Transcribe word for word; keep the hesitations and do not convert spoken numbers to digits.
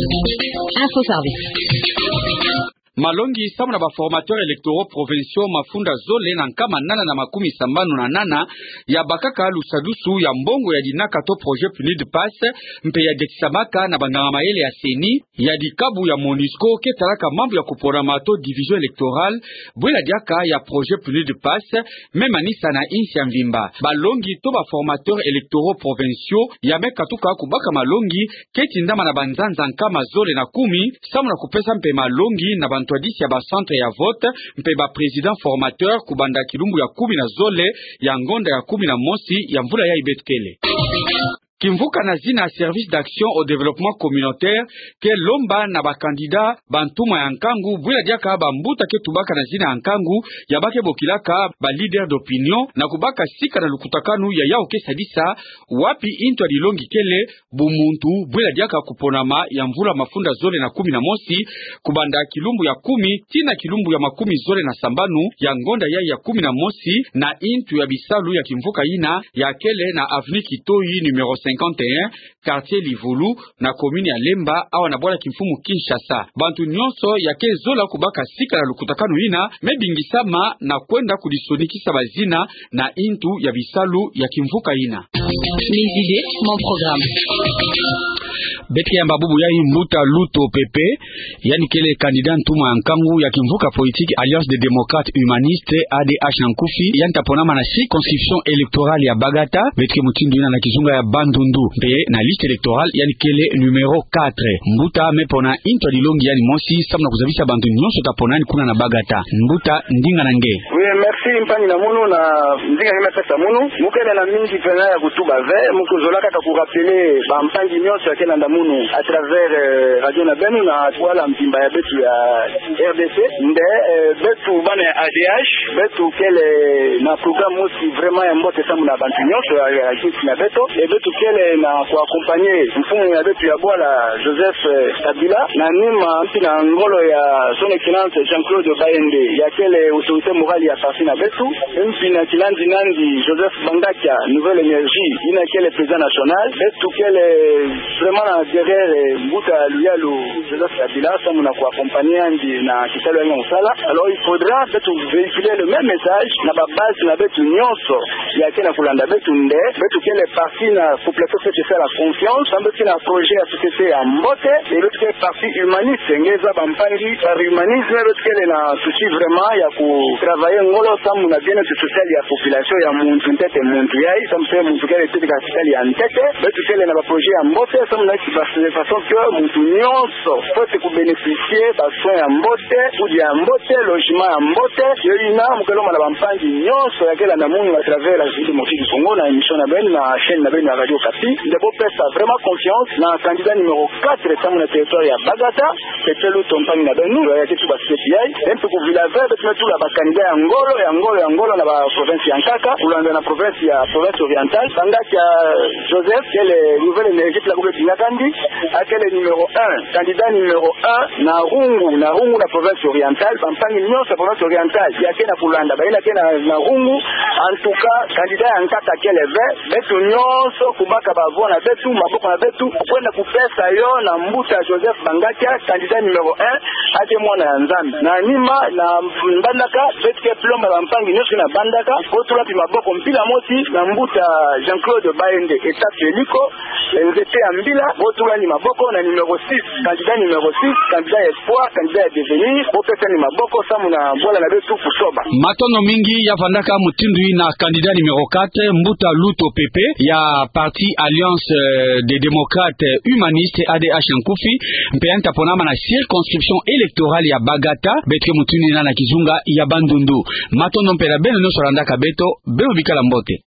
Info Service. Malongi samu na ba formateurs électoraux provinciaux mafunda zole na nkama nana na makumi sambanu na nana ya bakaka lusadusu ya mbongo ya dinaka to projet PNUD PASS, mpe ya diatisamaka na banganga-mayele ya CENI, ya dikabu ya MONUSCO ke talaka mambu ya kuponama to division électorale, bwela diaka ya projet PNUD PASS, me manisa na insi ya mvimba. Balongi to ba formateurs électoraux provinciaux ya me katuka kubaka malongi, ke tindama na banzanza nkama zole na kumi, samu na kupesa mpe malongi na bantwadisi ya ba centres ya vote, mpe ba présidents formateurs kubanda kilumbu ya kumi na zole ya ngonda ya kumi na mosi ya mvula yayi beto kele. Kimvuka na zina Service d'action au développement communautaire ke lomba na ba candidats ba ntumwa ya nkangu, bwela diaka bambuta ke tubaka na zina ya nkangu, ya ba ke bokilaka ba leaders d'opinion, na kubaka sika na lukutakanu ya yawu ke sadisa wapi ntu ya dilongi kele bumuntu, bwela diaka kuponama ya mvula mafunda zole na kumi na mosi, kubanda kilumbu ya kumi tii na kilumbu ya makumi zole na sambanu ya ngonda yayi ya kumi na mosi, na ntu ya bisalu ya kimvuka yina ya kele na avenue Kitoyi numéro cinquante et un, quartier Livulu, na commune ya Lemba, awa na bwala kimfumu Kinshasa. Bantu nyonso ya ke zola kubaka sika na lukutakanu yina me bingisama na kwenda kudisonikisa bazina na ntu ya bisalu ya kimvuka yina. Mes idées, mon programme. Beto ke yamba bubu yayi Mbuta Luto Pepe, yandi kele candidat ntumwa ya nkangu ya kimvuka politique Alliance des Démocrates Humanistes, A D H na nkufi, yandi ta ponama na circonscription électorale ya Bagata, beto ke mutindu yina na kizunga ya Bandundu. Mpe na liste électorale, yandi kele numéro quatre. Mbuta me pona ntu ya dilongi yandi mosi, samu na kuzabisa bantu nyonso ta pona yandi kuna na Bagata. Mbuta, ndinga na nge. Oui, merci mpangi na munu na ndinga nge me pesa munu. Mu kele na mingi pena ya kutuba ve, mu kuzola kaka ku rappeler bampangi nyonso ya ke landa munu à travers, euh, radio na beno na bwala mvimba ya beto ya R D C. Nde, euh, beto bana ya A D H, beto kele na programme mosi vraiment ya mbote samu na bantu nyonso ya, ya, ya nsi na beto. E beto kele na ku accompagner mfumu ya beto ya bwala Joseph, euh, Kabila, na nima mpi na ngolo ya Son Excellence Jean-Claude Bayende, ya kele autorité morale ya parti na beto, mpi na kilandi nandi Joseph Bangakia, Nouvelle Énergie, yina kele président national. Beto kele vraiment na derrière, euh, mbuta luyalu Joseph Kabila, samu na ku accompagner yandi na kisalu ya yandi ya kusala. Alors, il faudra beto véhiculer le même message na ba base na beto nyonso ya ke na kulanda beto, nde beto kele parti na ku plateau fete sala confiance, beto kele na projet ya société ya mbote, e beto kele parti humaniste, nge zaba mpangi, par humanisme, beto kele na souci vraiment ya ku travailler ngolo samu na bien-être social ya population, ya muntu ntete muntu yayi, samu se muntu kele ntete ka hopital ya ntete. Beto kele na ba projet ya mbote, samu na ki base de façon que muntu nyonso fwete ku bénéficier ba soins ya mbote, kudia ya mbote, logement ya mbote. Yo yina mu ke lomba na bampangi nyonso ya ke landa munu à travers la République démocratique du Congo na émission na beno na chaîne na beno ya Radio Okapi, nde bo pesa vraiment confiance na candidat numéro quatre samu na territoire ya Bagata, Pepe Luto, mpangi na beno, ya ke tuba C P I. E mpi ku vila ve, beto me tula ba candidat ya ngolo, ya ngolo, ya ngolo na ba province ya nkaka, kulanda na province ya, province orientale. Bangakia Joseph, kele Nouvelle Énergie, pila kube bingakandi, a kele numéro un, candidat numéro un na Rungu, na Rungu na province orientale, bampangi nyonso ya province orientale ya ke na kulanda, bayina ke na, na Rungu. En tout cas, candidat ya nkaka kele ve, beto nyonso kubaka ba voix na beto, maboko na beto, kwenda kupesa yo na mbuta Joseph Bangakia, candidat numéro un, a ke mwana ya Nzambi. Na nima, na Mbandaka, beto ke lomba bampangi nyonso na Mbandaka, bo tula mpi maboko mpila mosi na mbuta Jean-Claude Bayende, étape ya eliko, nzete ya mbila, bo tula ni maboko na numéro six, candidat numéro six, candidat ya espoir, candidat ya devenir, bo pesa ni maboko samu na bwala na beto kusoba. Matondo mingi, ya vandaka mutindu yina candidat numéro quatre, mbuta Luto Pepe, ya parti Alliance, euh, des Démocrates Humanistes, A D H na nkufi, mpe yandi ta ponama na circonscription électorale ya Bagata, beto ke mutindu yina na kizunga ya Bandundu. Matondo mpe na beno nyonso landaka beto, beno bikala mbote.